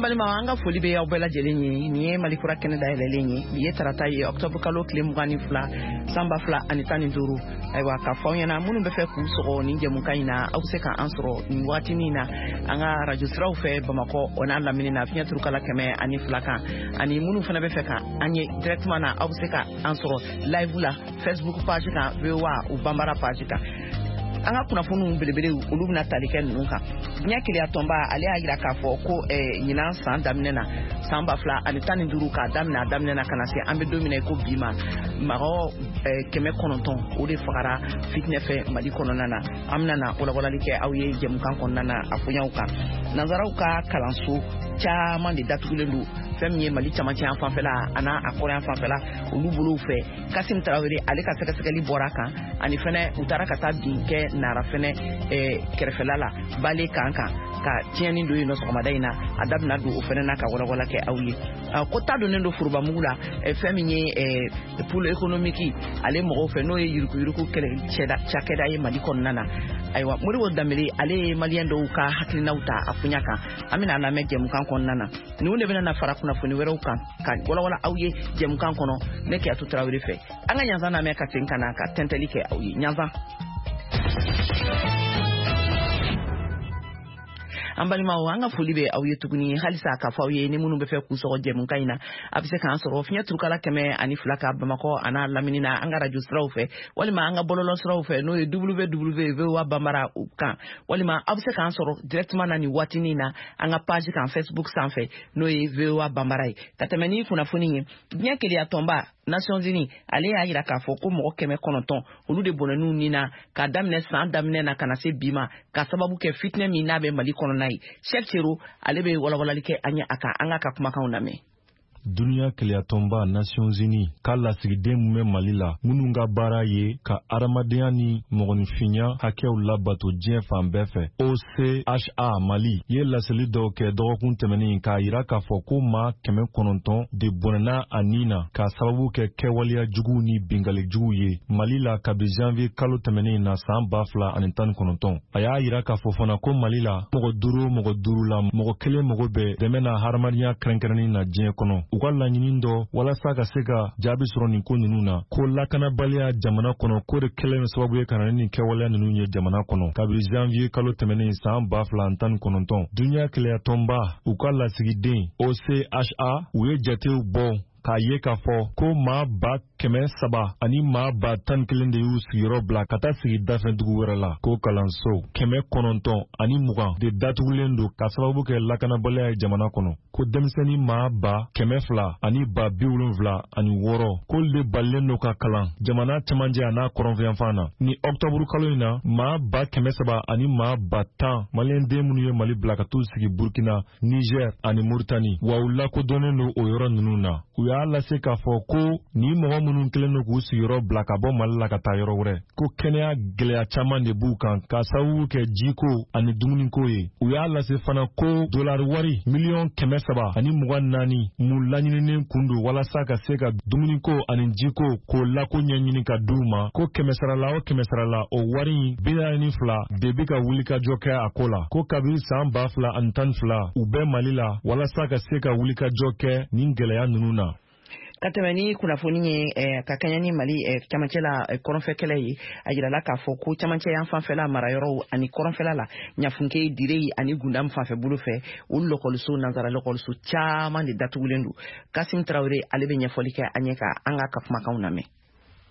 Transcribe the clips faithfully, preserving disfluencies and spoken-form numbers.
Balima, an ka foli bɛ aw bɛɛ lajɛlen ye. Nin ye Mali Kura kɛnɛ dayɛlɛlen ye. Bi ye tarata ye, octobre kalo tile mugan ni fila, san ba fila ani tan ni duuru. Ayiwa, ka fɔ aw ɲɛna, minnu bɛ fɛ k'u sɔgɔ nin jɛmukan in na, aw bɛ se k'an sɔrɔ nin waatinin na an ka radio siraw fɛ Bamakɔ o n'a lamini na, fiɲɛ turukala kɛmɛ ani fila kan. Ani minnu fana bɛ fɛ ka an ye directement na, aw bɛ se ka an sɔrɔ live la Facebook page kan, V O A u Banbara page kan. An ka kunnafoniw belebelew, olu bɛna tali kɛ ninnu kan. Diɲɛ keleya tɔnba, ale y'a jira k'a fɔ ko ɲinan san daminɛ na, san ba fila ani tan ni duuru, k'a daminɛ a daminɛ na ka na se an bɛ don min na i ko bi ma, mɔgɔ kɛmɛ kɔnɔntɔn o de fagara fitinɛ fɛ Mali kɔnɔna na. An bɛna na walawalali kɛ aw ye jɛmukan kɔnɔna na a koɲaw kan. Nanzaraw ka kalanso caman de datugulen don fɛn min ye Mali camancɛ yan fanfɛla a n'a a kɔrɔyan fanfɛla olu bolow fɛ. Kasim Tarawele, ale ka sɛgɛsɛgɛli bɔra a kan. Ani fɛnɛ, u taara ka taa bin kɛ Nara fɛnɛ kɛrɛfɛla la, bale kan kan ka tiɲɛni don yen nɔ sɔgɔmada in na. A da bɛna don o fɛnɛ na ka walawala kɛ aw ye. Ko ta donnen don forobamugu la fɛn min ye pôle économique ale mɔgɔw fɛ, n'o ye yuruguyurugu kɛlɛ cakɛda ye Mali kɔnɔna na. Ayiwa, Modibo Danbele, ale ye Maliyɛn dɔw ka hakilinaw ta a koɲa kan. An bɛna lamɛn jɛmukan kɔnɔna na. Ninnu de bɛna na fara kunnafoni wɛrɛw kan ka walawala aw ye jɛmukan kɔnɔ ne Keyatu Tarawele fɛ. An ka ɲanzan lamɛn ka segin ka na ka tɛntɛli kɛ aw ye. Ɲanzan. An balimaw, an ka foli bɛ aw ye tuguni. Halisa k'a fɔ aw ye, ni minnu bɛ fɛ k'u sɔgɔ jɛmukan in na, a bɛ se k'an sɔrɔ fiɲɛ turukala kɛmɛ ani fila ka Bamakɔ a n'a lamini na, an ka radio siraw fɛ, walima an ka bɔlɔlɔ siraw fɛ, n'o ye W W V O A Banbara kan, walima aw bɛ se k'an sɔrɔ directement na nin waatinin na an ka page kan Facebook sanfɛ, n'o ye V O A Banbara ye. Ka tɛmɛ ni kunnafoni ye, diɲɛ keleya tɔnba Nations Unies, ale y'a jira k'a fɔ ko mɔgɔ kɛmɛ kɔnɔntɔn olu de bɔnɛn'u ni na k'a daminɛ san daminɛ na ka na se bi ma, ka sababu kɛ fitinɛ min n'a bɛ Mali kɔnɔna ye. Cheick Sero, ale bɛ walawalali kɛ an ye a kan. An k'a ka kumakanw lamɛn. Duniɲa keleyatɔnba Nations Unies ka lasigiden min bɛ Mali la, minnu ka baara ye ka adamadenya ni mɔgɔninfinya hakɛw labato diɲɛ fan bɛɛ fɛ, O C H A Mali, ye laseli dɔw kɛ dɔgɔkun tɛmɛnen k'a yira k'a fɔ ko maa kɛmɛ kɔnɔntɔn de bɔnɛna a nin na k'a sababu kɛ kɛwaleya juguw ni bingali juguw ye Mali la kabi janvier kalo tɛmɛnen na, saan ba fila ani tan ni kɔnɔntɔn. A y'a yira k'a fɔ fana ko Mali la, mɔgɔ duuru o mɔgɔ duuru la, mɔgɔ kelen mago bɛ dɛmɛ na hadamadenya kɛrɛnkɛrɛnnen na diɲɛ kɔnɔ. U ka laɲini dɔ walasa ka se ka jaabi sɔrɔ nin ko ninnu na, ko lakanabaliya jamana kɔnɔ, ko de kɛlen sababu ye ka na ni nin kɛwaleya ninnu ye jamana kɔnɔ kabiri janvier kalo tɛmɛnen, saan ba fila ani tan ni kɔnɔntɔn. Duniɲa keleyatɔnba u ka lasigiden O C H A, u ye jatew bɔ k'a ye k'a fɔ ko maa ba kɛmɛ saba ani maa ba tan kelen de y'u sigiyɔrɔ bila ka taa sigi dafɛ dugu wɛrɛ la, ko kalanso kɛmɛ kɔnɔntɔn ani mugan de datugulen don ka sababu kɛ lakanabaliya ye jamana kɔnɔ, ko denmisɛnnin maa ba kɛmɛ fila ani ba bi wolonfila ani wɔɔrɔ k'olu de balilen don ka kalan jamana cɛmancɛ a n'a kɔrɔnfɛyanfan na. Ni ɔktɔburu kalo in na, maa ba kɛmɛ saba ani maa ba tan Maliyɛnden minnu ye Mali bila ka t'u sigi Burkina, Niger ani Muritani, wa u lakodɔnnen don o yɔrɔ ninnu na. U y'a lase k'a fɔ ko nin mɔgɔ minnu kɛlen don k'u sigiyɔrɔ bila ka bɔ Mali la ka taa yɔrɔ wɛrɛ, ko kɛnɛya gwɛlɛya caaman de b'u kan k'a sababu kɛ jiko ani dumuniko ye. U y'a lase fana ko dolari wari miliyɔn kɛmɛ saba ani mugan naani mun laɲininen kun don walasa ka se ka dumuniko ani jiko k'o lako ɲɛɲini ka d'u ma, ko kɛmɛsarala o kɛmɛsarala, o wari in bi naani ni fila de bi ka wulikajɔ kɛ a ko la, ko kabiri saan ba fila ani tan ni fila u bɛ Mali la walasa ka se ka wulikajɔ kɛ nin gwɛlɛya ninnu na. Ka tɛmɛ ni kunnafoni ye, eh, ka kɛɲɛ ni Mali eh, camancɛ la eh, kɔrɔnfɛ kɛlɛ ye, a yirala k'a fɔ ko camancɛ yan fanfɛla marayɔrɔw ani kɔrɔnfɛla la, Ɲafunke, Direyi ani Gundam fanfɛ bolo fɛ, olu lɔkɔliso, nansara lɔkɔliso caman de datugulen don. Kasim Tarawele, ale bɛ ɲɛfɔli kɛ an ye ka an k'a ka kumakanw lamɛn.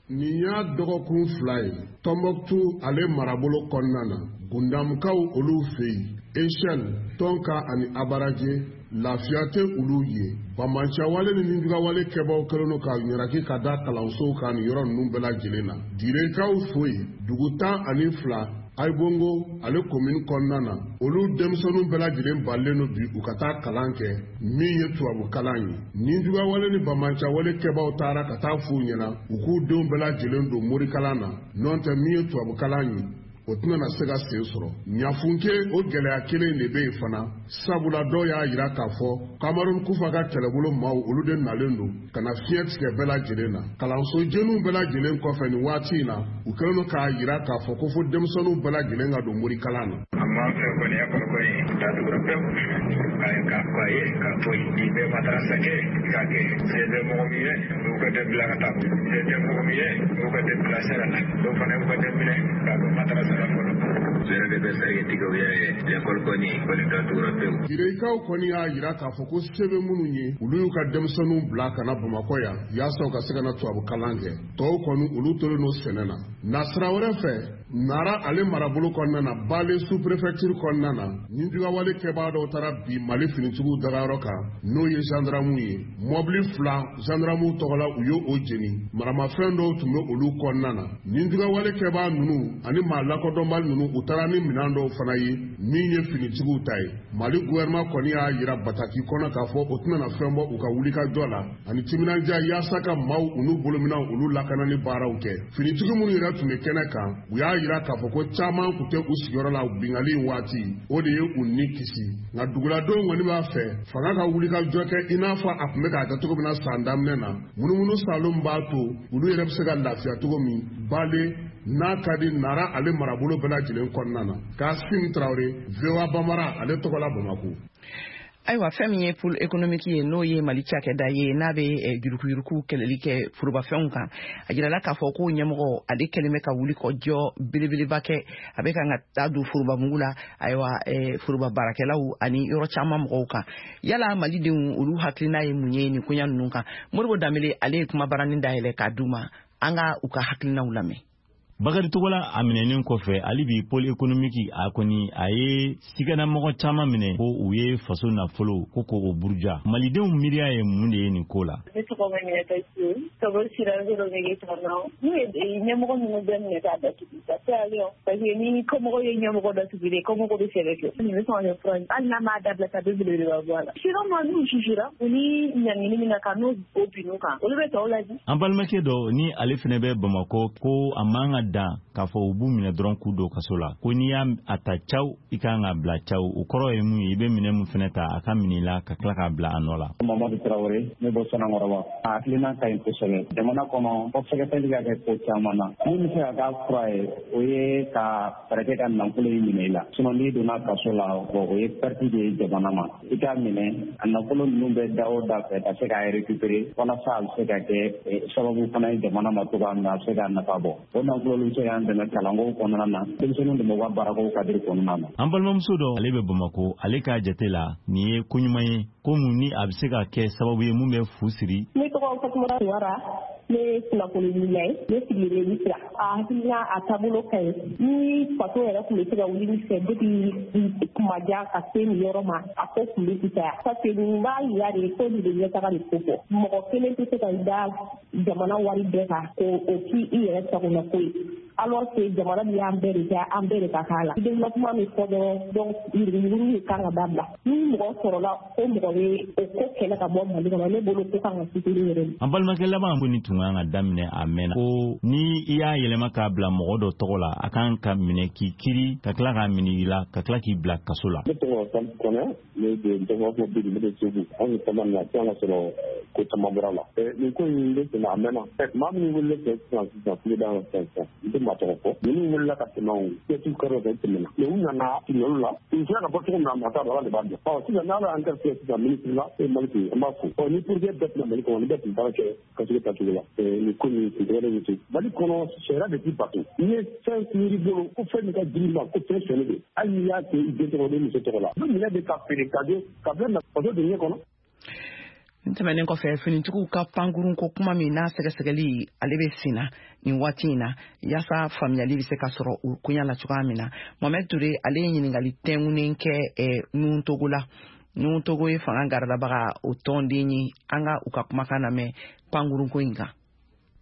Nin y'a dɔgɔkun fila ye, Tɔnbɔkutu ale marabolo kɔnɔna na, Gundamukaw olu fɛ yen, Echelle, Tɔnka ani Abaraje, lafiya tɛ olu ye. Banbancɛwale ni nijugawale kɛbaw kɛlen don ka ɲaraki ka da kalansow kan nin yɔrɔ ninnu bɛɛ lajɛlen na. Direkaw fo yen, dugu tan ani fila Ayibongo ale komini kɔnɔna na, olu denmisɛnninw bɛɛ lajɛlen balilen don bi u ka taa kalan kɛ min ye tubabu kalan ye. Nijugawale ni banbancɛwale kɛbaw taara ka taa f'u ɲɛna u k'u denw bɛɛ lajɛlen don morikalan na, n'o tɛ min ye tubabu kalan ye, o tɛna se ka sen sɔrɔ. Ɲafunke, o gɛlɛya kelen de bɛ yen fana, sabula dɔw y'a jira k'a fɔ Kamarun Kufa ka kɛlɛbolo maaw, olu de nalen don ka na fiɲɛ tigɛ bɛɛ lajɛlen na kalanso jeniw bɛɛ lajɛlen kɔfɛ. Nin waati in na, u kɛlen don k'a jira k'a fɔ ko fo denmisɛnninw bɛɛ lajɛlen ka don morikalan na. An b'an fɛ kɔni, école kɔni datugura pewu. k'a fɔ a ye k'a fɔ i bɛ madarasa kɛ k'a kɛ se bɛ mɔgɔ min ye u ka den bila ka taa se tɛ mɔgɔ min ye u ka den bila sira la dɔw fana y'u ka den minɛ k'a don madarasa la fɔlɔ. U yɛrɛ de bɛ sariya tigɛ u yɛrɛ ye lekɔli kɔni kɔni datugura pewu. Girekaw kɔni y'a jira k'a fɔ ko se bɛ minnu ye olu y'u ka denmisɛnninw bila ka na Bamakɔ yan yaasa u ka se ka na tubabu kalan kɛ tɔw kɔni olu tolen don sɛnɛ na. Nasira wɛrɛ fɛ Nara ale marabolo kɔnɔna na Bale sous-préfecture kɔnɔna na ninjugawale kɛbaa dɔw taara bi Mali finitigiw dagayɔrɔ kan n'o ye gendarmew ye mɔbili fila gendarmew tɔgɔ la u ye o jeni maramafɛn dɔw tun bɛ olu kɔnɔna na ninjugawale kɛbaa ninnu ani maa lakodɔnbali ninnu u taara ni minɛn dɔw fana ye min ye finitigiw ta ye. Mali gouvernement kɔni y'a jira bataki kɔnɔ k'a fɔ o tɛna na fɛn bɔ u ka wulikajɔ la ani timinandiya yaasa ka maaw u n'u bolominɛnw olu lakanani baaraw kɛ. Finitigi minnu yɛrɛ tun bɛ kɛnɛ kan u y'a jira k'a fɔ ko caman tun tɛ u sigiyɔrɔ la binkanni in waati o de ye u ni kisi. Nka duguladenw kɔni b'a fɛ fanga ka wulikajɔ kɛ i n'a fɔ a tun bɛ k'a kɛ cogo min na san daminɛ na munumunu saalon b'a to olu yɛrɛ bɛ se ka lafiya cogo min Bale n'a ka di Nara ale marabolo bɛɛ lajɛlen kɔnɔna na. Kasim Tarawele, V O A Bambara ale tɔgɔ la Bamakɔ. Ayiwa fɛn min ye pôle économique ye n'o ye Mali cakɛda ye n'a bɛ yuruguyurugu kɛlɛli kɛ forobafɛnw kan a jirala k'a fɔ ko ɲɛmɔgɔ ale kɛlen bɛ ka wuli kɔ jɔ belebeleba kɛ a bɛ kan ka taa don forobamugu la ayiwa foroba baarakɛlaw ani yɔrɔ caman mɔgɔw kan. Yala malidenw olu hakilina ye mun ye nin koɲa ninnu kan? Modibo Danbele ale ye kumabaranin dayɛlɛ k'a d'u ma an ka u ka hakilinaw lamɛn. Bakari Togola a minɛnen kɔfɛ hali bi pôle économique a kɔni a ye siganamɔgɔ caman minɛ ko u ye faso nafolo ko k'o buruja. Malidenw miiriya ye mun de ye nin ko la? Ne tɔgɔ Maminata Cissé, ka bɔ Sikaso Mege kɔnɔ. N'u ye ɲɛmɔgɔ ninnu bɛɛ minɛ k'a datugu ka se ale parce que ni kɔmɔgɔ ye ɲɛmɔgɔ datugu de kɔmɔgɔ bɛ fɛɛrɛ kɛ. Nin bɛ sɔn ka kɛ fura ye hali n'a m'a dabila ka bɛ belebeleba bɔ a la. Sinon n'u jugera u ni ɲangini min ka kan n'o bin'u kan olu bɛ tɔw lajɛ. An balimakɛ dɔ ni ale fana bɛ Bamakɔ ko a man ka dan k'a fɔ u b'u minɛ dɔrɔn k'u don kaso la ko n'i y'a a ta caw i kan ka bila caw o kɔrɔ ye mun ye i bɛ minɛ mun fana ta a ka minɛ i la ka tila k'a bila a nɔ la. Mamadu Tarawele ne bɔ Sanankɔrɔba a hakilina ka ɲi kosɛbɛ jamana kɔnɔ fɔ sɛgɛsɛgɛli ka kɛ ko caman na min bɛ se ka k'a fura ye o ye ka fɛɛrɛ kɛ ka nafolo in minɛ i la sinon n'i donna kaso la o ye perte de ye jamana ma i k'a minɛ a nafolo ninnu bɛ da o da fɛ ka se k'a récupérer walasa a bɛ se ka kɛ sababu fana ye jamana ma cogoya min na a bɛ se k'a nafa bɔ o nafolo olu bɛ se k'an dɛmɛ kalanko kɔnɔna na denmisɛnninw dɛmɛ u ka baarako kadiri kɔnɔna na. An balimamuso dɔ ale bɛ Bamakɔ ale k'a jate la nin ye ko ɲuman ye ko mun ni a bɛ se ka kɛ sababu ye mun bɛ fu siri. Ne tɔgɔ Fatumata Tuwara ne ye kunnafonidilan ye ne sigilen bɛ Misira a hakilina a taabolo ka ɲi ni faso yɛrɛ tun bɛ se ka wuli ni fɛ depuis kuma jan ka se nin yɔrɔ ma a ko tun bɛ fisaya parce que nin b'a yira de ko nin bɛ ɲɛtaga de ko fɔ mɔgɔ kelen tɛ se ka da jamana wari bɛɛ kan k'o k'i i yɛrɛ sagona ko ye alors que jamana min y'an bɛɛ de kɛ an bɛɛ de ka k'a la développement min fɔ dɔrɔn donc yuruguyurugu de kan ka dabila ni mɔgɔ sɔrɔla ko mɔgɔ bɛ o ko kɛlɛ ka bɔ Mali kɔnɔ ne bolo ko kan ka suturu yɛrɛ de. An balimakɛ laban ko nin tun kan ka daminɛ a mɛnna ko ni i y'a yɛlɛma k'a bila mɔgɔ dɔ tɔgɔ la a kan ka minɛ k'i kiri ka tila k'a minɛ i la ka tila k'i bila kaso la. Ne tɔgɔ Salifu Kɔnɛ ne de tɔgɔ fɔ bi ne bɛ Segu anw ye caman na an ka sɔrɔ ko caman bɔra la nin ko in bɛ tɛmɛ a mɛnna maa minnu wele fɛ sisan sisan kuloda la sisan sisan n tɛ maa tɔgɔ fɔ ninnu wulila ka tɛmɛ o kɛtu kɛrɛ fɛ tɛmɛna mɛ u nana olu la u sera ka bɔ cogo min na maa t'a dɔn Ala de b'a dɔn ɔ sisan n'Ala y'an garisɛgɛ sisan minisiri la e Mali tun an b'a fo ɔ ni projet bɛɛ tɛna Mali kɔnɔ ni bɛɛ tun baara kɛ ka se ka cogo la nin ko nin tun tɛgɛ de to Mali kɔnɔ sariya de ti bato n'i ye fɛn miiri bolo ko fɛn min ka girin ma ko fɛn sɔnni don hali n'i y'a kɛ i den tɔgɔ ni muso tɔgɔ la u bɛ minɛ de ka feere ka don ka bila faso de ɲɛ kɔnɔ. Nin tɛmɛnen kɔfɛ finitigiw ka pankurun ko kuma min n'a sɛgɛsɛgɛli ale bɛ sen na nin waati in na yaasa faamuyali bɛ se ka sɔrɔ o koɲa la cogoya min na Mohamed Touré ale ye ɲininkali tɛnkunnen kɛ Nuhun Togo la. Nuhun Togo ye fanga garadabaga o tɔnden ye an ka u ka kumakan lamɛn pankurun ko in kan.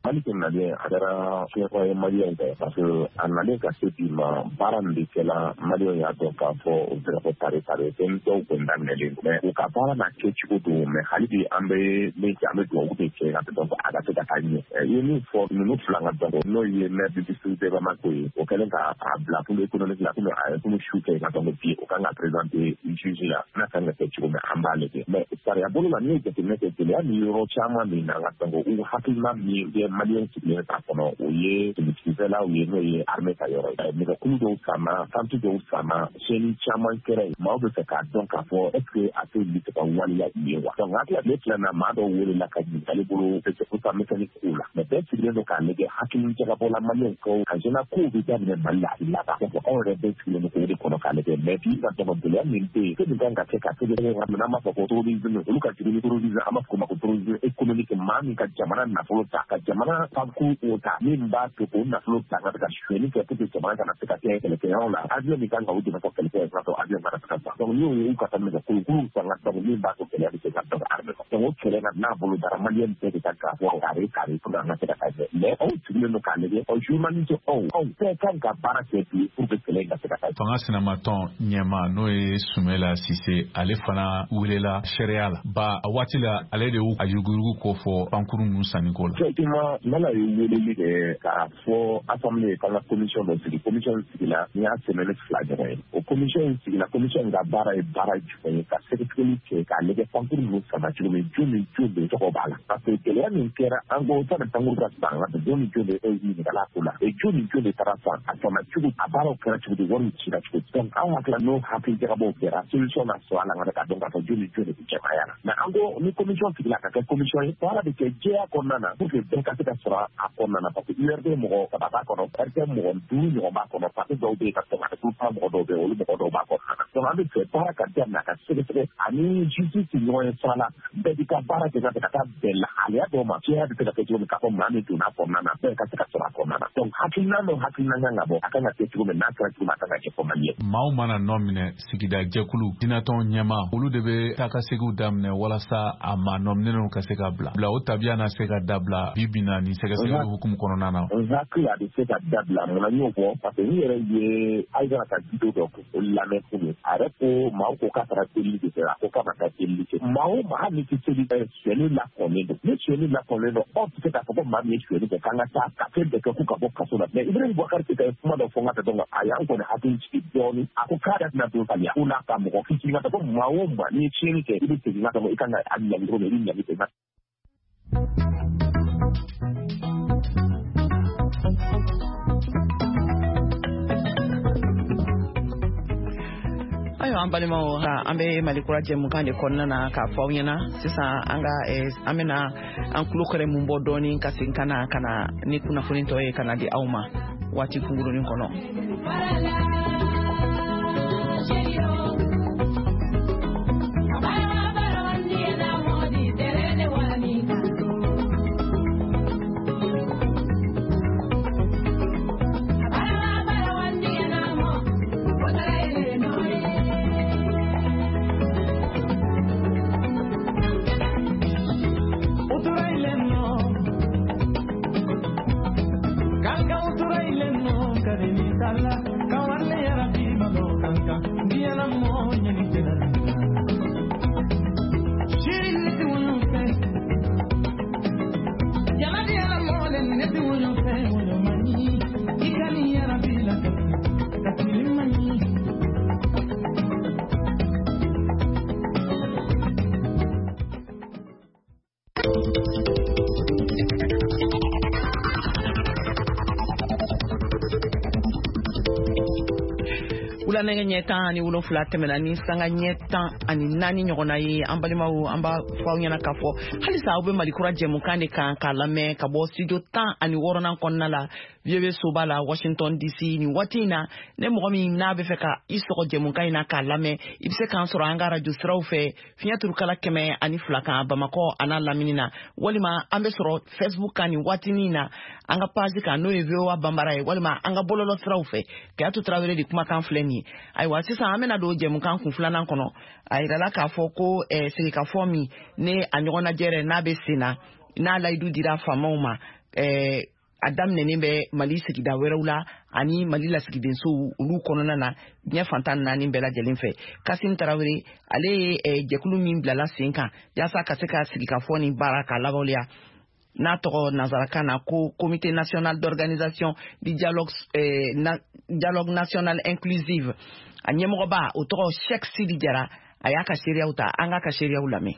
Mali tun nalen a kɛra fiɲɛkɔ ye maliyɛn fɛ parce que a nalen ka se bi ma baara min bɛ kɛla maliyɛnw y'a dɔn k'a fɔ o bɛ fɔ tare tare fɛn dɔw kɔni daminɛlen mais u ka baara n'a kɛcogo don mais hali bi an bɛ min kɛ an bɛ dugawu de kɛ ka dɔn a ka se ka taa ɲɛ i ye min fɔ ninnu fila ka dɔn n'o ye maire du district de Bamako ye o kɛlen k'a bila pôle économique la komi a ye komi su kɛ ka dɔn bi o kan ka présenter juge la n'a kan ka kɛ cogo min an b'a lajɛ mais sariya bolo la n'i ye jateminɛ kɛ gɛlɛya ni yɔrɔ caman min na ka dɔn u hakilina min bɛ maliyɛn sigilen t'a kɔnɔ, o ye dugutigilaw ye, n'o ye armée ka yɔrɔ ye. Nɛgɛkulu dɔw sanna, tanti dɔw sanna, siyɛnni caman kɛra yen. Maaw bɛ fɛ k'a dɔn k'a fɔ est ce que a tɛ bɛ se ka waleya i ye wa. Donc hakili tile fila na, maa dɔw welela ka ɲininkali bolo ko misɛnnin kow la, mais bɛɛ sigilen don k'a lajɛ hakili jagabɔ la maliyɛnw kaw ka jɛna kow bɛ daminɛ Mali la a bɛ laban. Donc anw yɛrɛ bɛɛ sigilen don k'o de kɔnɔ k'a lajɛ. Mais bi ka dɔgɔ gɛlɛya min bɛ yen, fɛn min kan ka kɛ ka sɛgɛsɛgɛ, n'an b'a fɔ ko terrorisme, olu ka jugu ni terrorisme, an b'a fɔ o ma ko terrorisme économique, maa min ka jamana nafolo ta, ka jamana pankurun ta, min b'a to k'o nafolo ta ka ka sonyɛli kɛ pour que jamana kana se ka kɛ kɛlɛkɛyɔrɔ la. Avion min kan ka o dɛmɛ fɔ kɛlɛkɛ ka sɔrɔ avion kana se ka san. Donc n'o ye u ka taa nɛgɛkolokolo san ka donc min b'a to gɛlɛya bɛ se ka dɔgɔ armée kɔnɔ. Donc o kɛlɛ ka n'a bolo dara maliyɛn bɛɛ de kan k'a fɔ kare kare pour que an ka se ka taa ɲɛ. Mais anw sigilen don k'a lajɛ, ɔ journaliste anw anw bɛɛ kan ka baara kɛ bi pour que kɛlɛ in ka se ka taa. Fanga sinamatɔn ɲɛma n'o ye Sumela Sise, ale fana welela sariya la ba a waati la, ale de y'u a yuruguyurugu ko fɔ pankuru ninnu sanniko la. Effectivement, Mala ye weleli kɛ k'a fɔ assemblée k'an ka commission dɔ sigi. Commission sigila ni y'a semaine fila ɲɔgɔn ye. O commission in sigila, commission in ka baara ye baara jumɛn ye? Ka sɛgɛsɛgɛli kɛ k'a lajɛ pankuru ninnu sanna cogo min, jɔn ni jɔn de tɔgɔ b'a la. Parce que gɛlɛya min kɛra, an ko sani pankuru ka san ka jɔn ni jɔn de e ɲininkala ko la, e jɔn ni jɔn de taara san, a sanna cogo, a baaraw kɛra cogo di, wariw cira cogo di. Donc anw hakili la n'o hakili jagabɔw kɛra, solution na sɔrɔ a la ka dɔn k'a fɔ jɔn ni jɔn de bɛ jɛmaya la. Mais an ko ni commission sigila ka kɛ commission ye, baara bɛ kɛ jɛya kɔnɔna na pour que bɛɛ ka se ka sɔrɔ a kɔnɔna na. Parce que U R D mɔgɔ saba b'a kɔnɔ, R T M mɔgɔ duuru ɲɔgɔn b'a kɔnɔ, parti dɔw bɛ yen ka sɔrɔ a groupement mɔgɔ dɔw bɛ yen, olu mɔgɔ dɔw b'a kɔnɔna na. Donc an bɛ fɛ baara ka daminɛ ka sɛgɛsɛgɛ ani justice ɲɔgɔn ye sira la, bɛɛ b'i ka baara kɛ ka taa bɛn lahalaya dɔw ma, jɛya bɛ se ka kɛ cogo min k'a fɔ maa min donna a kɔnɔna na, bɛɛ ka se ka sɔrɔ a kɔnɔna na. Donc hakilina n'o hakilina kan ka bɔ, a kan ka kɛ cogo min n'a kɛra cogo min, a kan ka kɛ fɔ Mali ye. Maaw mana nɔ minɛ, sigida jɛkulu, dinatɔn ɲɛmaa, olu de bɛ taa ka seginw daminɛ walasa a maa nɔminɛnw ka se ka bila bila o tabiya na se ka dabila bi bi na nin sɛgɛsɛgɛli hukumu kɔnɔna na. N hakili a bɛ se ka dabila. Munna n y'o fɔ? Parce que n yɛrɛ ye Aïdara ka vidéo dɔ lamɛn kunun, a yɛrɛ ko maaw ko k'a taara delili de kɛ, a ko k'a ma taa delili kɛ. Maa o maa hali ni tɛ seli kɛ, sonyɛli lakɔnnen don. Ni sonyɛli lakɔnnen don, aw tɛ se k'a fɔ ko maa min ye sonyɛli kɛ k'an ka taa ka fɛn bɛɛ kɛ k'u ka bɔ kaso la. Mais Ibrahim Boubacar Keïta ye kuma dɔ fɔ n ka dɔn a y'an kɔni hakili jigin dɔɔnin. A ko k'a yɛrɛ tɛna don faliya ko n'a ka mɔgɔ fitinin ka ko maa o maa n'i ye tiɲɛni kɛ, i bɛ segin ka dɔn i kan ka a ɲangi cogo min, i bɛ ɲangi ten. Ayiwa an balimaw, an bɛ Mali kura jɛmukan de kɔnɔna na k'a fɔ aw ɲɛna sisan an ka an bɛna an tulo kɛrɛ mun bɔ dɔɔnin ka segin ka na ka na ni kunnafoni tɔ ye ka na di aw ma waati kunkurunin kɔnɔ. Wula nɛgɛ ɲɛ tan ani wolonfila tɛmɛna ni sanga ɲɛ tan ani naani ɲɔgɔnna ye. An balimaw, an b'a fɔ aw ɲɛna k'a fɔ halisa aw bɛ Mali kura jɛmukan de kan k'a lamɛn ka bɔ studio tan ani wɔɔrɔnan kɔnɔna la V O A soba la Washington D C. Nin waati in na, ne mɔgɔ min n'a bɛ fɛ ka i sɔgɔ jɛmukan in na k'a lamɛn, i bɛ se k'an sɔrɔ an ka radio siraw fɛ fiɲɛ turukala kɛmɛ ani fila kan Bamakɔ a n'a lamini na, walima an bɛ sɔrɔ Facebook kan nin waatinin na an ka page kan n'o ye V O A Banbara ye, walima an ka bɔlɔlɔ siraw fɛ. Kayatu Tarawele de kumakan filɛ nin ye. Ayiwa sisan an bɛna don jɛmukan kun filanan kɔnɔ. A yirala k'a fɔ ko eh, sigikafɔ min ne a ɲɔgɔnnajɛrɛ n'a bɛ sen na, n'a layidu dira faamaw ma, eh, a daminɛnen bɛ Mali sigida wɛrɛw la ani Mali lasigidensow olu kɔnɔna na diɲɛ fantan naani bɛɛ lajɛlen fɛ. Kasim Tarawele ale ye eh, jɛkulu min bilala sen kan yaasa ka se ka sigikafɔ ni baara k'a lawaleya, n'a tɔgɔ nansarakan na ko Comité national d'organisation du dialogue, eh, na, dialogue national inclusive. A ɲɛmɔgɔba o tɔgɔ Cheikh Sidi Jara, a y'a ka seereyaw ta, an k'a ka seereyaw lamɛn.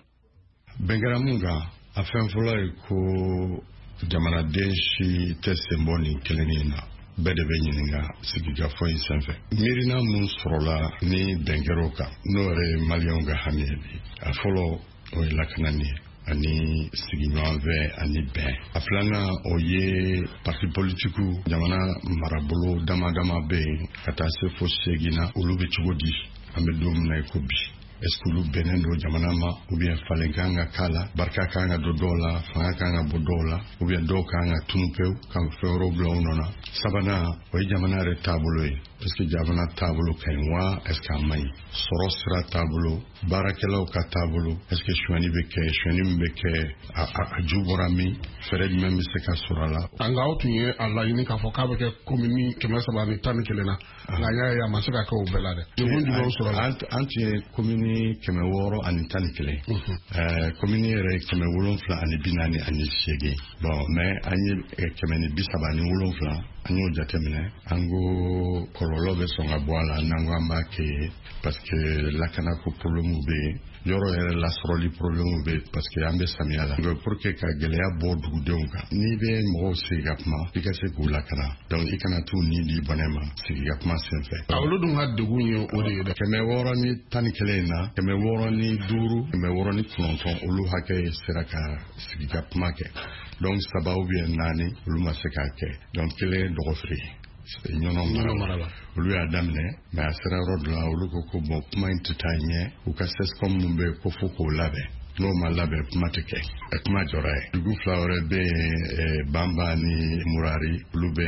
Bɛn kɛra mun kan, a fɛn fɔlɔ ye ko Jamanaden si tɛ sen bɔ nin kelennin na. Bɛɛ de bɛ ɲininka sigikafɔ in senfɛ. Miirina mun sɔrɔla ni bɛn kɛra o kan, n'o yɛrɛ ye maliyɛnw ka hami ye bi. A fɔlɔ, o ye lakanani ye ani sigiɲɔgɔnfɛ ani bɛn. A filanan, o ye parti politikiw, jamana marabolo dama dama bɛ yen ka taa se fo seegin na, olu bɛ cogo di an bɛ don min na i ko bi? Est ce que olu bɛnnen don jamana ma, ou bien falen kan ka k'a la, barika kan ka don dɔw la, fanga kan ka bɔ dɔw la, ou bien dɔw kan ka tunu pewu ka fɛn wɛrɛw bila u nɔ na? Sabanan, o ye jamana yɛrɛ taabolo ye. Est ce que jamana taabolo ka ɲi wa, est ce que a man ɲi? Sɔrɔ sira taabolo, baarakɛlaw ka taabolo, est ce que sonyani bɛ kɛ, sonyani min bɛ kɛ, a, a, a ju bɔra min, fɛɛrɛ jumɛn bɛ se ka sɔrɔ a la? Nka aw tun ye a laɲini k'a fɔ k'a bɛ kɛ komini kɛmɛ saba ni tan ni kelen na, nka an y'a ye a ma se ka kɛ o bɛɛ la dɛ. Degun jumɛnw sɔrɔ la? An tun ye komini kɛmɛ wɔɔrɔ ani tan ni kelen, komini yɛrɛ kɛmɛ wolonfila ani bi naani ani seegin. Bon, mais an ye kɛmɛ ni bi saba ani wolonfila, an y'o jateminɛ, an ko kɔlɔlɔ bɛ sɔn ka bɔ a la n'an ko an b'a kɛ ye, parce que lakanako problème bɛ yen, yɔrɔ yɛrɛ lasɔrɔli problème bɛ yen, parce que an bɛ samiya la. Donc pour que ka gɛlɛya bɔ dugudenw kan, n'i bɛ mɔgɔw sigi ka kuma, i ka se k'u lakana, donc i kana t'u ni di bɔnɛ ma sigi ka kuma senfɛ. Olu dun ka degun ye o de ye dɛ. Kɛmɛ wɔɔrɔ ni tan ni kelen in na, kɛmɛ wɔɔrɔ ni duuru, kɛmɛ wɔɔrɔ ni kɔnɔntɔn, olu hakɛ sera ka sigi ka kuma kɛ. Donc saba ou bien naani, olu ma se k'a kɛ. Donc kelen ye dɔgɔfiri ye Ɲɔnɔ mara la, olu y'a daminɛ, mais a sera yɔrɔ dɔ la, olu ko ko bon, kuma in tɛ taa ɲɛ, u ka C S C O M mun bɛ yen ko fo k'o labɛn, n'o ma labɛn kuma tɛ kɛ, kuma jɔra ye. Dugu fila wɛrɛ bɛ yen, Banba ni Murari, olu bɛ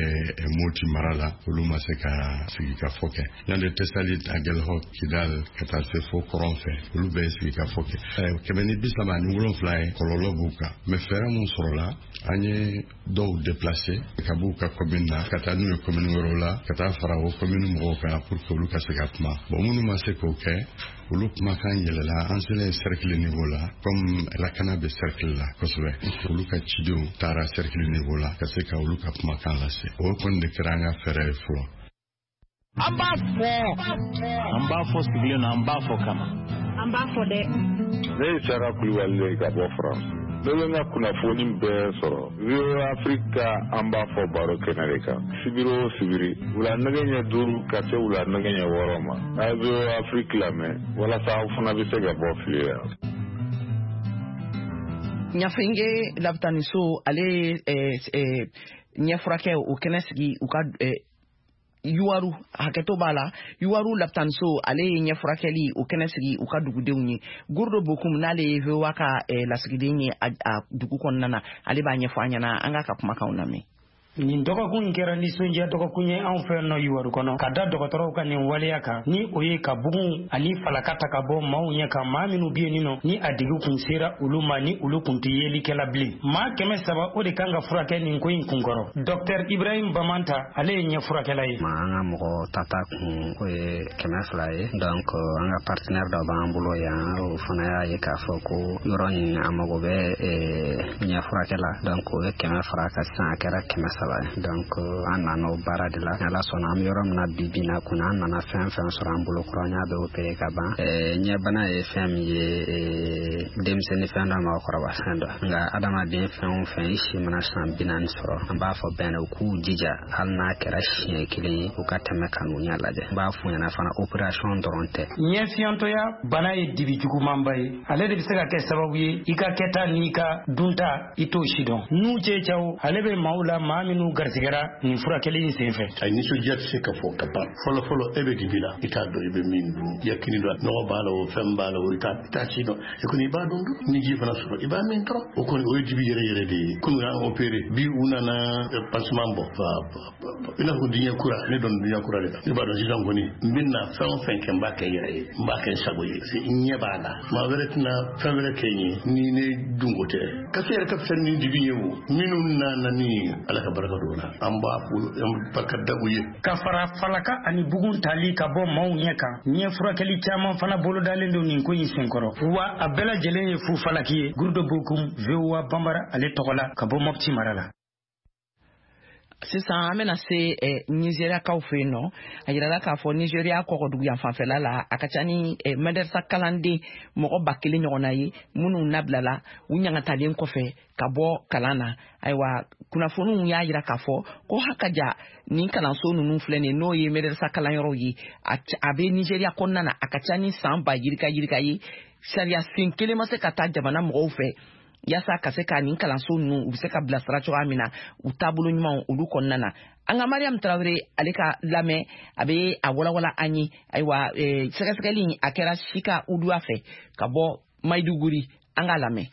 Moti mara la, olu ma se ka sigi ka fɔ kɛ. Yanni Tessalit, Aguelhok, Kidal, ka taa se fo kɔrɔn fɛ, olu bɛɛ ye sigi ka fɔ kɛ. Kɛmɛ ni bi saba ani wolonfila ye, kɔlɔlɔ b'u kan, mais fɛɛrɛ mun sɔrɔla, an ye dɔw déplacer ka b'u ka commune na ka taa n'u ye commune wɛrɛw la, ka taa fara o commune mɔgɔw kan pour que olu ka se ka kuma. Bon, minnu ma se k'o kɛ, olu kumakan yɛlɛla, an selen cercle niveau la, comme lakana bɛ cercle la kosɛbɛ, olu ka cidenw taara cercle niveau la ka se ka olu ka kumakan lase. O kɔni de kɛra an ka fɛɛrɛ ye fɔlɔ. An b'a fɔ, an b'a fɔ sigilen na, an b'a fɔ kama, an b'a fɔ dɛ. Ne ye Sara Kulibali ye ka bɔ France. Ne bɛ n ka kunnafoni bɛɛ sɔrɔ V O A Afrique ka an b'a fɔ baro kɛnɛ de kan, sibiri o sibiri, wula nɛgɛ ɲɛ duuru ka se wula nɛgɛ ɲɛ wɔɔrɔ ma. A ye V O A Afrique lamɛn walasa aw fana bɛ se ka bɔ fili la. Ɲafenge labitaniso, ale ye ɲɛfurakɛ o kɛnɛ sigi u ka Yuwaru, hakɛto b'a la, Yuwaru lapitaniso, ale ye ɲɛfurakɛli o kɛnɛ sigi u ka dugudenw ye. Gurdo Bokum, n'ale ye V O A ka lasigiden ye a dugu kɔnɔna na, ale b'a ɲɛfɔ an ɲɛna. An k'a ka kumakanw lamɛn. Nin dɔgɔkun in kɛra nisɔndiya dɔgɔkun ye anw fɛ nɔ Yuwaru kɔnɔ, ka da dɔgɔtɔrɔw ka nin waleya kan, ni o ye ka bugun ani falaka ta ka bɔ maaw ɲɛ kan, maa minnu bɛ yen nɔ ni a digi kun sera olu ma, ni olu kun tɛ yelikɛla bilen. Maa kɛmɛ saba o de kan ka furakɛ nin ko in kunkɔrɔ. Dɔktɛr Ibrahim Bamanta, ale ye ɲɛfurakɛla ye. An ka mɔgɔ tata kun o ye kɛmɛ fila ye. Donc an ka partenaire dɔ b'an bolo yan, o fana y'a ye k'a fɔ ko yɔrɔ in a mago bɛ ɲɛfurakɛ la, donc o ye kɛmɛ fara kan, sisan a kɛra kɛmɛ saba. Donc an nana o baara de la. Ala sɔnna, an bɛ yɔrɔ min na bi bi in na kunna, an nana fɛn fɛn sɔrɔ an bolo kɔrɔ, an y'a bɛɛ opéré ka ban. Ɲɛbana ye fɛn min ye, denmisɛnnin fɛn dɔ, mɔgɔkɔrɔba fɛn dɔ, nka adamaden fɛn o fɛn i si mana san bi naani sɔrɔ, an b'a fɔ bɛɛ u k'u jija, hali n'a kɛra siɲɛ kelen ye, u ka tɛmɛ ka n'u ɲɛ lajɛ. N b'a f'u ɲɛna fana, opération dɔrɔn tɛ. Ɲɛfiyantɔya bana ye dibi jugumanba ye, ale de bɛ se ka kɛ sababu ye i ka kɛta n'i ka dunta i t'o si dɔn. N'u cɛ caw, ale bɛ maaw la, maa minnu garisigɛra nin furakɛli in senfɛ. A nisɔndiya tɛ se ka fɔ ka ban. Fɔlɔ fɔlɔ, e bɛ dibi la, i t'a dɔn i bɛ min dun, yakini dɔn, nɔgɔ b'a la o, fɛn b'a la o, i t'a si dɔn. E kɔni i b'a dɔn dun, ni ji fana sɔrɔ i b'a min dɔrɔn. O kɔni o ye dibi yɛrɛ yɛrɛ de ye. Kunun y'an opéré, bi u nana pansement bɔ, i n'a fɔ diɲɛ kura. Ne dɔn diɲɛ kura de la, ne b'a dɔn sisan kɔni n bɛ na fɛn o fɛn kɛ, n b'a kɛ n yɛrɛ ye, n b'a kɛ n sago ye, n ɲɛ b'a la. Maa wɛrɛ tɛna fɛn wɛrɛ kɛ n ye ni ne dunko tɛ. Kaso yɛrɛ ka fisa ni dibi ye o. Minnu nana ni Ala ka barika don o la, an b'a fo, an barika da u ye. Ka fara falaka ani bugun tali ka bɔ maaw ɲɛ kan, ɲɛ furakɛli caman fana bolodalen don nin ko in senkɔrɔ, wa a bɛɛ lajɛlen ye fu falaki ye. Gurudo Bokum, V O A Bambara ale tɔgɔ la, ka bɔ Mɔpti mara la. Sisan an bɛna se eh, Nizeriyakaw fɛ yen nɔ. A yirala k'a fɔ Nizeriya kɔgɔdugu yan fanfɛla la, a ka ca ni eh, madarasa kalanden mɔgɔ ba kelen ɲɔgɔnna ye minnu nabilala u ɲangatalen kɔfɛ ka bɔ kalan na. Ayiwa, kunnafoniw y'a yira k'a fɔ ko hakaja nin kalanso ninnu filɛ nin ye, n'o ye madarasa kalanyɔrɔw ye, a bɛ Nizeriya kɔnɔna na, a ka ca ni san ba yirika yirika ye. Sariya sen kelen ma se ka taa jamana mɔgɔw fɛ yaasa ka se ka nin kalanso ninnu u bɛ se ka bilasira cogoya min na u taabolo ɲumanw olu kɔnɔna na. An ka Mariam Tarawele ale ka lamɛn, a bɛ a walawala an ye. Ayiwa, sɛgɛsɛgɛli a kɛra Sika Uduwa fɛ ka bɔ Maiduguri, an k'a lamɛn.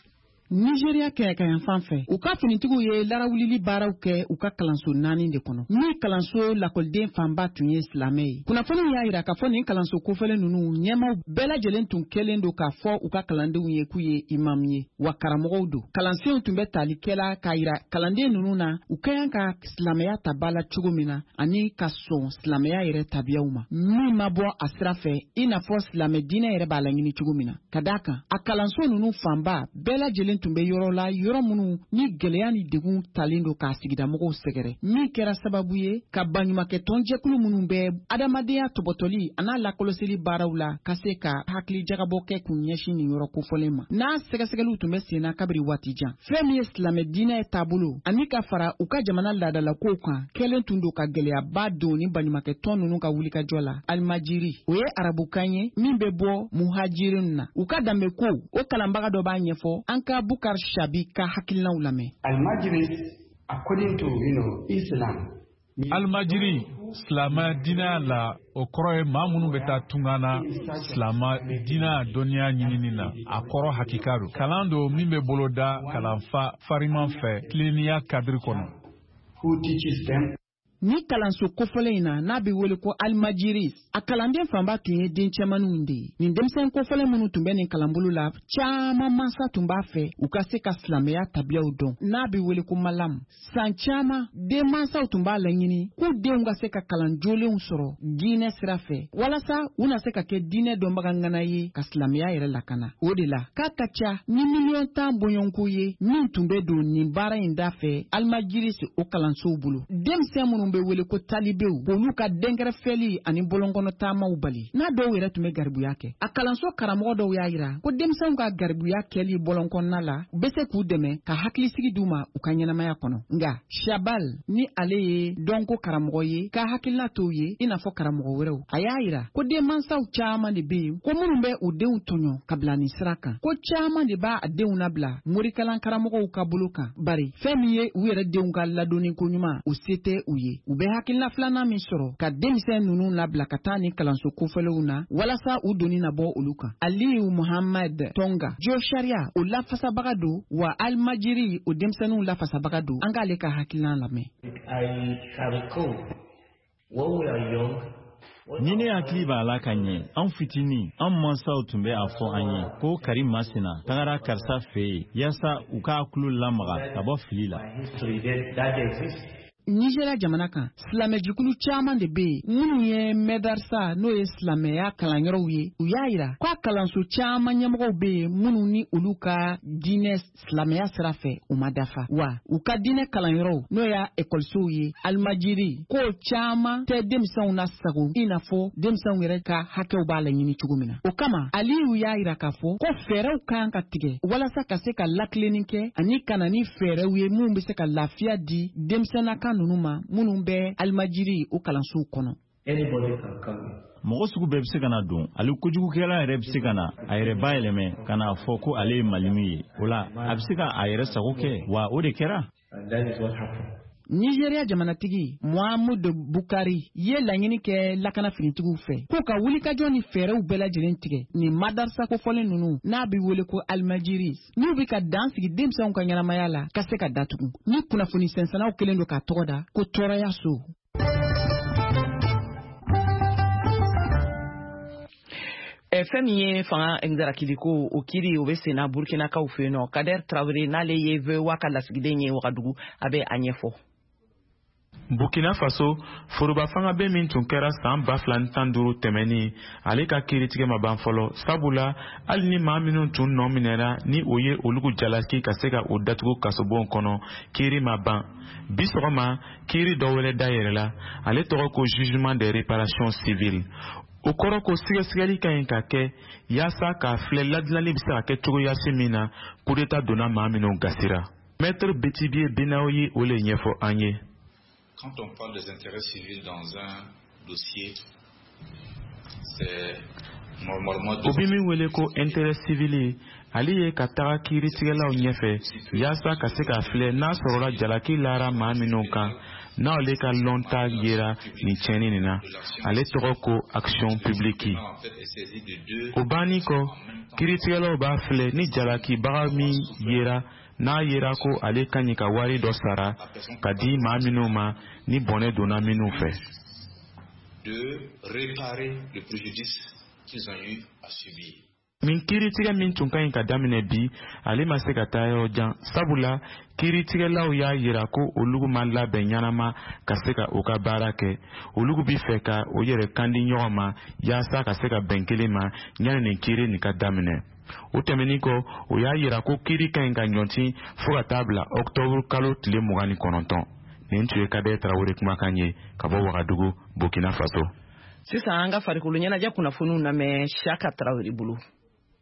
Nigeria kɛɲɛkayan fan fɛ, u ka finitigiw ye larawulili baaraw kɛ u ka kalanso naani de kɔnɔ, min kalanso lakɔliden fanba tun ye silamɛ ye. Kunnafoniw y'a yira k'a fɔ nin kalanso kofɔlen ninnu ɲɛmaw bɛɛ lajɛlen tun kɛlen don k'a fɔ u ka kalandenw ye k'u ye imamu ye, wa karamɔgɔw don. Kalansenw tun bɛ tali kɛla k'a yira kalanden ninnu na u ka kan ka silamɛya ta ba la cogo min na, ani ka sɔn silamɛya yɛrɛ tabiyaw ma, min ma bɔ a sira fɛ i n'a fɔ silamɛ diinɛ yɛrɛ b'a laɲini cogo min na. Ka d'a kan, a kalanso ninnu fanba bɛɛ lajɛlen tun bɛ yɔrɔ la, yɔrɔ minnu ni gɛlɛya ni degun talen don k'a sigidamɔgɔw sɛgɛrɛ, min kɛra sababu ye ka baɲumankɛ tɔnjɛkulu minnu bɛ adamadenya tɔbɔtɔli an'a lakɔlɔsili baaraw la ka se ka hakili jagabɔ kɛ k'u ɲɛsin nin yɔrɔ kofɔlen ma. N'a sɛgɛsɛgɛliw tun bɛ sen na kabiri waati jan, fɛn min ye silamɛ diinɛ taabolo ani ka fara u ka jamana laadalakow kan kɛlen tun don ka gɛlɛyaba don ni baɲumankɛ tɔn ninnu ka wulikajɔ la. Alimajiri, o ye arabukan ye min bɛ bɔ muhajirin na. U ka danbeko o kalanbaga dɔ b'a ɲɛfɔ an ka Bukar Shabi ka hakilinaw lamɛn. Almajiris, according to you know, Islam. Almajiri, silamɛ diinɛ la, o kɔrɔ ye maa minnu bɛ taa tunga na silamɛ diinɛ dɔnniya ɲinini na. A kɔrɔ hakika don. Kalan don min bɛ boloda kalanfa fariman fɛ tilennenya kadiri kɔnɔ. Who teaches them? Ni kalanso kofɔlen in na, n'a bɛ wele ko Almajiris, a kalanden fanba tun ye den cɛmaninw de ye. Nin denmisɛn kofɔlen minnu tun bɛ nin kalanbolo la, caman mansa tun b'a fɛ u ka se ka silamɛya tabiyaw dɔn, n'a bɛ wele ko malam. San caman, den mansaw tun b'a laɲini k'u denw ka se ka kalan jolenw sɔrɔ diinɛ sira fɛ, walasa u na se ka kɛ diinɛ dɔnbaga ŋana ye ka silamɛya yɛrɛ lakana. O de la, k'a ka ca ni miliyɔn tan bɔɲɔgɔnko ye min tun bɛ don nin baara in da fɛ Almajiris o kalansow bolo. Denmisɛn minnu bɛ wele ko talibew, olu ka dɛnkɛrɛfɛli ani bɔlɔnkɔnɔ taamaw bali, n'a dɔw yɛrɛ tun bɛ garibuya kɛ. A kalanso karamɔgɔ dɔw y'a yira ko denmisɛnw ka garibuya kɛli bɔlɔnkɔnɔna la bɛ se k'u dɛmɛ ka hakilisigi d'u ma u ka ɲɛnamaya kɔnɔ. Nka Shabal, ni ale ye dɔnko karamɔgɔ ye, ka hakilina t'o ye i n'a fɔ karamɔgɔ wɛrɛw, a y'a yira ko denmansaw caman de bɛ yen ko minnu bɛ u denw tɔɲɔ ka bila nin sira kan, ko caman de b'a denw nabila morikalan karamɔgɔw ka bolo kan, bari fɛn min ye u yɛrɛ denw ka ladonni ko ɲuman, o se tɛ u ye. U bɛ hakilina filanan min sɔrɔ ka denmisɛn ninnu labila ka taa ni kalanso kofɔlenw na walasa u donni na bɔ olu kan. Aliyu Muhammad Tonga, jo sariya o lafasabaga don, wa Almajiri o denmisɛnninw lafasabaga don. An k'ale ka hakilina lamɛn. Ni ne hakili b'a la ka ɲɛ, an fitinin, an mansaw tun bɛ a fɔ an ye ko kari masina tagara karisa fɛ yen yaasa u k'a tulo lamaga ka bɔ fili la. Nigeria jamana kan, silamɛjɛkulu caman de bɛ yen minnu ye mɛdarisa, n'o ye silamɛya kalanyɔrɔw ye. U y'a yira k'a kalanso caman ɲɛmɔgɔw bɛ yen minnu ni olu ka diinɛ silamɛya sira fɛ u ma dafa, wa u ka diinɛ kalanyɔrɔw, n'o y'a ekɔlisow ye, alimajiri ko caman tɛ denmisɛnw na sago i n'a fɔ denmisɛnw yɛrɛ ka hakɛw b'a laɲini cogo min na. O kama, Aliyu y'a yira k'a fɔ ko fɛɛrɛw kan ka tigɛ walasa ka se ka lakilenni kɛ ani ka na ni fɛɛrɛw ye minnu bɛ se ka lafiya di denmisɛnninna ninnu ma minnu bɛ alimajiri o kalansow kɔnɔ. Mɔgɔ sugu bɛɛ bɛ se ka na don, ale kojugukɛla yɛrɛ bɛ se ka na a yɛrɛ bayɛlɛmɛ ka n'a fɔ ko ale ye malimu ye. O la, a bɛ se ka a yɛrɛ sago kɛ, wa o de kɛra. Nigeria jamanatigi Muhammadu Bukari ye laɲini kɛ lakana finitigiw fɛ k'u ka wulikajɔ ni fɛɛrɛw bɛɛ lajɛlen tigɛ nin madarasa kofɔlen ninnu, n'a bɛ wele ko Almajiris, n'u bɛ ka dan sigi denmisɛnw ka ɲɛnamaya la ka se ka datugu. Ni kunnafoni sɛnsɛnnaw kɛlen don k'a tɔgɔ da ko tɔɔrɔya so. Fɛn min ye fanga nzarakiliko o kiri, o bɛ senna Burkinakaw fɛ yen nɔ. Kader Traoré, n'ale ye V O A ka lasigiden ye Wagadugu, a bɛ a ɲɛfɔ. Burkina Faso, foroba fanga bɛ min tun kɛra san ba fila ni tan duuru tɛmɛnen, ale ka kiiritigɛ ma ban fɔlɔ, sabula hali ni maa minnu tun nɔ minɛra ni o ye olugu jalaki ka se ka o datugu kasobon kɔnɔ, kiiri ma ban. Bi sɔgɔma, kiiri dɔ wɛrɛ dayɛlɛla, ale tɔgɔ ko jugement des réparations civiles. O kɔrɔ ko sɛgɛsɛgɛli ka ɲi ka kɛ yaasa k'a filɛ ladilanli bɛ se ka kɛ cogoyasi min na coup d'état donna maa minnu gasira. Maître Betibie Benawo ye o le ɲɛfɔ an ye. Quand on parle des intérêts civils dans un dossier, c'est normalement... O bɛ min wele ko intérêt civil, ale ye ka taga kiiritigɛlaw ɲɛfɛ yaasa ka se k'a filɛ n'a sɔrɔla jalaki lara maa minnu kan, n'ale ka lɔnta yera nin tiɲɛni nin na, ale tɔgɔ ko action publique. O banni kɔ, kiiritigɛlaw b'a filɛ ni jalakibaga min yera, n'a yera ko ale ka ɲi ka wari dɔ sara ka di maa minnu ma ni bɔnɛ donna minnu fɛ. De réparer le préjudice qu'ils ont eu à subir. Nin kiiritigɛ min tun ka ɲi ka daminɛ bi, ale ma se ka taa yɔrɔ jan, sabula kiiritigɛlaw y'a yira ko olu ma labɛn ɲɛnama ka se ka u ka baara kɛ. Olu bi fɛ ka o yɛrɛ kan di ɲɔgɔn ma yaasa ka se ka bɛn kelen ma yanni nin kiiri nin ka daminɛ. O tɛmɛnen kɔ, o y'a yira ko kiiri ka ɲi ka ɲɔnti fo ka taa bila ɔkutɔburu kalo tile mugan ni kɔnɔntɔn. Nin tun ye Kadɛ Tarawele kumakan ye ka bɔ Wagadugu, Burkina Faso. Sisan an ka farikolo ɲɛnajɛ kunnafoniw lamɛn Siaka Tarawele bolo.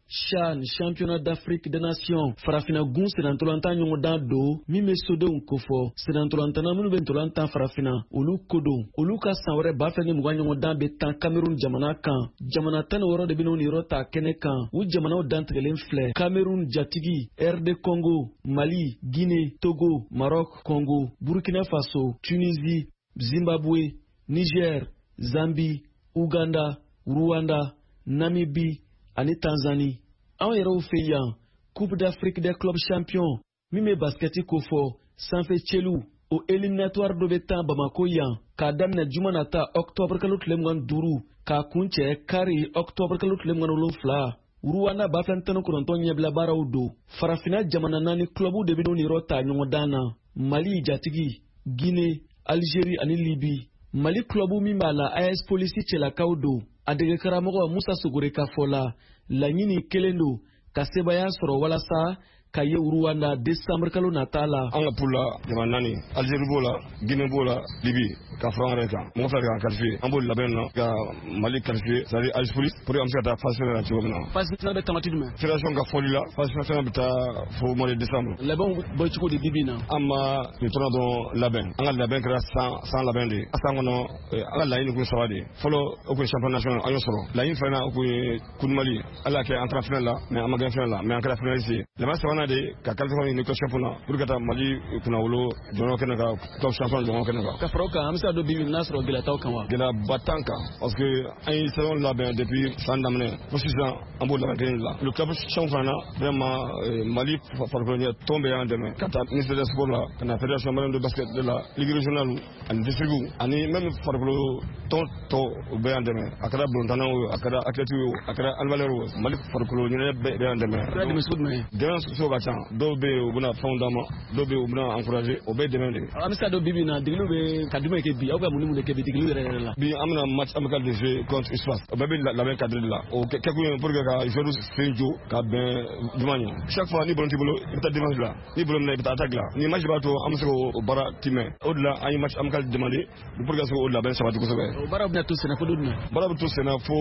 CHAN, championnat d'Afrique des Nations, farafina gun senantolantan ɲɔgɔndan don min bɛ sodenw kofɔ. Senantolantanna minnu bɛ ntolan tan farafina, olu ko don. Olu ka san wɛrɛ ba fila ni mugan ɲɔgɔndan bɛ tan Cameroun jamana kan. Jamana tan ni wɔɔrɔ de bɛ n'u niyɔrɔ ta kɛnɛ kan. U jamanaw dantigɛlen filɛ: Cameroun jatigi, R D Congo, Mali, Guinée, Togo, Maroc, Congo, Burkina Faso, Tunisie, Zimbabwe, Niger, Zambie, Ouganda, Rwanda, Namibie ani Tanzanie. Anw yɛrɛw fɛ yan, Coupe d'Afrique des clubs champions min bɛ basikɛti kofɔ sanfɛ cɛliw, o éliminatoire dɔ bɛ tan Bamako yan k'a daminɛ juma nata octobre kalo tile mugan ni duuru k'a kuncɛ kari octobre kalo tile mugan ni wolonfila. Rwanda ba fila ni tan ni kɔnɔntɔn ɲɛbila baaraw don. Farafinna jamana naani clubw de bɛ n'u niyɔrɔ ta ɲɔgɔndan na: Mali jatigi, Guinée, Algérie ani Libye. Mali club min b'a la, A S Polisi cɛlakaw don. A dege karamɔgɔ Musa Sogore ka fɔ la, laɲini kelen don ka sebaaya sɔrɔ walasa ka ye Rwanda décembre kalo nata la. An ka poule la jamana naani, Algérie b'o la, Guinée b'o la, Libye ka fara an yɛrɛ kan. Mɔgɔ fila de k'an qualifié, an b'o labɛn na ka Mali qualifié, c'est à dire A S Police, pour que an bɛ se ka taa phase finale la cogo min na. Phase finale bɛ tamati jumɛn? Fédération ka fɔli la, phase finale bɛ taa fo mois de décembre. Labɛnw bɛ cogo di bi bi in na? An ma nin tournoi dɔrɔn labɛn, an ka labɛn kɛra san san labɛn de ye. San kɔnɔ, an ka laɲini kun saba de ye. Fɔlɔ, o kun ye championnat national, an y'o sɔrɔ. Laɲini filanan, o kun ye Coupe du Mali, Ala y'a kɛ an taara finale la, mais an ma gagné finale la, mais an kɛra finaliste ye. Laban sabanan de ka qualification ɲini club champion na pour que ka taa Mali kunnawolo jɔyɔrɔ kɛnɛ kan, club champion jɔyɔrɔ kɛnɛ kan. Ka fara o kan, an bɛ se ka don bi bi n'a sɔrɔ gɛlɛya t'aw kan wa? Gɛlɛyaba t'an kan parce que an ye saison labɛn depuis san daminɛ fo sisan, an b'o labɛn kelen de la. Le club champion fana na, vraiment Mali farikolo ɲɛnajɛ tɔn bɛɛ y'an dɛmɛ ka taa ministère des sports la, ka na fédération malienne de basket de la, ligue régionale ani district ani même farikolo tɔn tɔ, o bɛɛ y'an dɛmɛ. A kɛra balontannaw ye, a kɛra athlètes ye, a kɛra handballeurs ye, Mali farikolo ɲɛnajɛ bɛɛ y'an dɛmɛ. Dɛmɛ sugu jumɛn ye? Dɛmɛ sugu ka ca. Dɔw bɛ yen, u bɛna fɛnw d'an ma, dɔw bɛ yen, u bɛna encourager, o bɛɛ ye dɛmɛ de ye. An bɛ se ka dɔn bi bi in na, degeliw bɛ ka jumɛn kɛ bi, aw bɛ ka mun ni mun de kɛ bi degeliw yɛrɛ yɛrɛ la? Bi an bɛna match amical de jouer contre USFAS, o bɛɛ bɛ labɛn cadre de la. O kɛkun ye pour que ka joueurs sen jo ka bɛn juma ɲɛ. Chaque fois ni ballon t'i bolo, i bɛ taa défense la, ni ballon minɛ, i bɛ taa attaque la. Ni match b'a to an bɛ se k'o baara timɛ. O de la an ye match amical demandé pour que ka se k'o labɛn sabati kosɛbɛ. O baara bɛna to senna fo don jumɛn? Baara bɛ to senna fo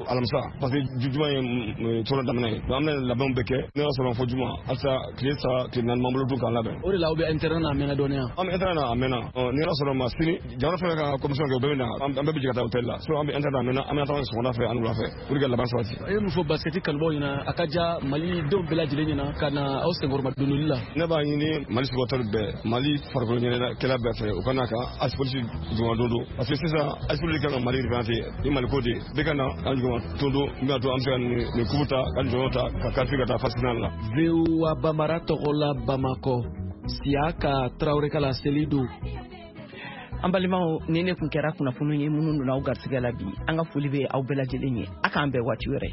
alamisa, parce que juma ye tournoi daminɛ ye. Donc an bɛna labɛnw bɛɛ kɛ, ne y'a sɔrɔ fo juma, halisa tile saba tile naani m'an bolo dun k'an labɛn. O de la aw bɛ intérêt na a mɛnna dɔɔnin wa? An bɛ intérêt na a mɛnna. Ni ala sɔnna ma, sini jamana fɛn fɛn ka commission kɛ, o bɛɛ bɛ na, an bɛɛ bɛ jɛ ka taa hôtel la. Sinon an bɛ intérêt na a mɛnna, an bɛna taa sɔgɔmada fɛ ani wula fɛ pour que laban sabati. E ye mun fɔ basket kanubaw ɲɛna, a ka ja Mali denw bɛɛ lajɛlen ɲɛna ka na aw senkɔrɔma dondoli la? Ne b'a ɲini Mali supporter bɛɛ, Mali farikolo ɲɛnajɛkɛla bɛɛ fɛ, u ka na ka A S Police jɔngɔn don don, parce que sisan A S Police kan ka Mali représenter ni Mali ko de ye. Bɛɛ ka na an jɔngɔn don don min b'a to an bɛ se ka nin coupe ta, ka nin jɔyɔrɔ ta, ka qualifier ka taa phase finale la. V O A Bambara tɔgɔ la Bamakɔ, Siaka Tarawele ka laseli don. An balimaw, ni ne kun kɛra kunnafoni ye minnu donna aw garisigɛ la bi, an ka foli bɛ aw bɛɛ lajɛlen ye. A k'an bɛn waati wɛrɛ.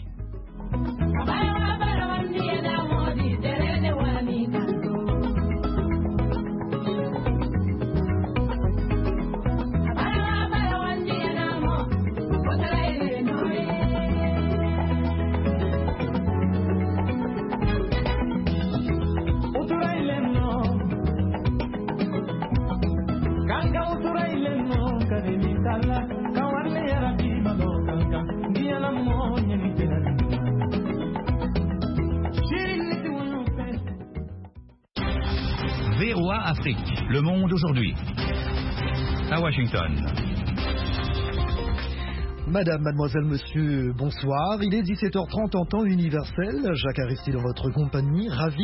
V O A Afrique, le monde aujourd'hui. À Washington. Madame, mademoiselle, monsieur, bonsoir. Il est dix-sept heures trente en temps universel. Jacques Aristide en votre compagnie, ravi